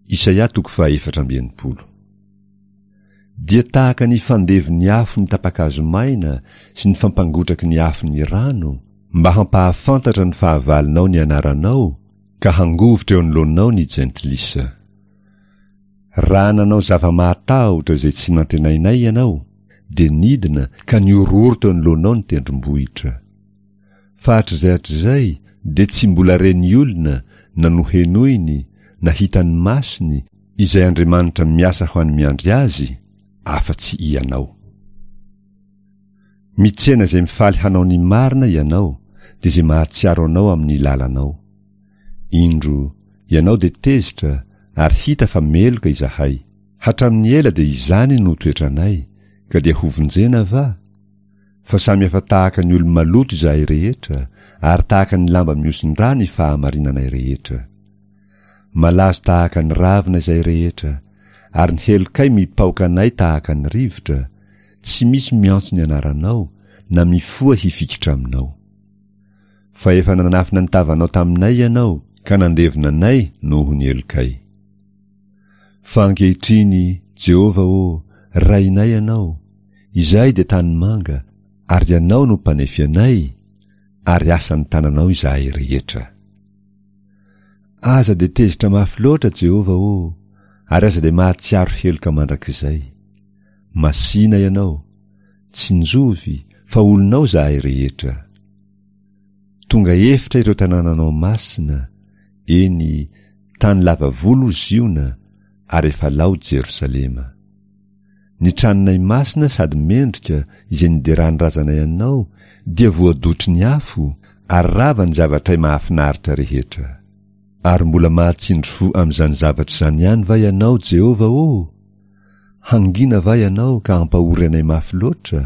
Isaia toko faha 64. Dia tahaka ny fandevon'ny afo ny tapa-kazo maina sy ny fampangotraky ny afo ny rano, mba hampahafantatra ny fahavalonao ny anaranao, ka hangovitra eo anoloanao ny jentilisa. Raha nanao zava-mahatahotra izay tsy nantenainay ianao, dia nidina ka nihorohoro teo anoloanao ny tendrombohitra. Fa hatrizay hatrizay dia tsy mbola ren'ny olona na nohenoiny na hitan'ny masony izay Andriamanitra miasa ho an'ny miandry Azy, afa-tsy Ianao. Mitsena izay mifaly hanao ny marina Ianao, dia izay mahatsiaro Anao amin'ny lalanao. Indro, Ianao dia tezitra, ary hita fa meloka izahay. Hatramin'ny ela dia izany no toetranay, ka dia hovonjena va? Fa samy efa tahaka ny olo-maloto izahay rehetra, ary tahaka ny lamba mihosin-drà ny fahamarinanay rehetra. Malazo tahaka ny ravina izahay rehetra, ary ny helokay mipaoka anay tahaka ny rivotra, tsy misy miantso ny anaranao, na mifoha hifikitra aminao. Fa efa nanafina ny tavanao taminay ianao, ka nandevona anay noho ny helokay. Fa ankehitriny, Jehovah ô, Rainay Ianao, izahay dia tanimanga, ary Ianao no Mpanefy anay, ary asan'ny tananao izahay rehetra. Aza dia tezitra mafy loatra, Jehovah ô, ary aza dia mahatsiaro heloka mandrakizay. Masìna Ianao, tsinjovy, fa olonao izahay rehetra. Tonga efitra ireo tanànanao masina, eny, tany lava volo Ziona, ary efa lao Jerosalema. Ny tranonay masina sady mendrika izay nideran'ny razanay anao dia voadotry ny afo, ary rava ny zavatray mahafinaritra rehetra. Ary mbola mahatsindry fo amin'izany zavatra izany ihany va ianao, Jehovah ô? Hangina va ianao ka hampahory anay mafy loatra?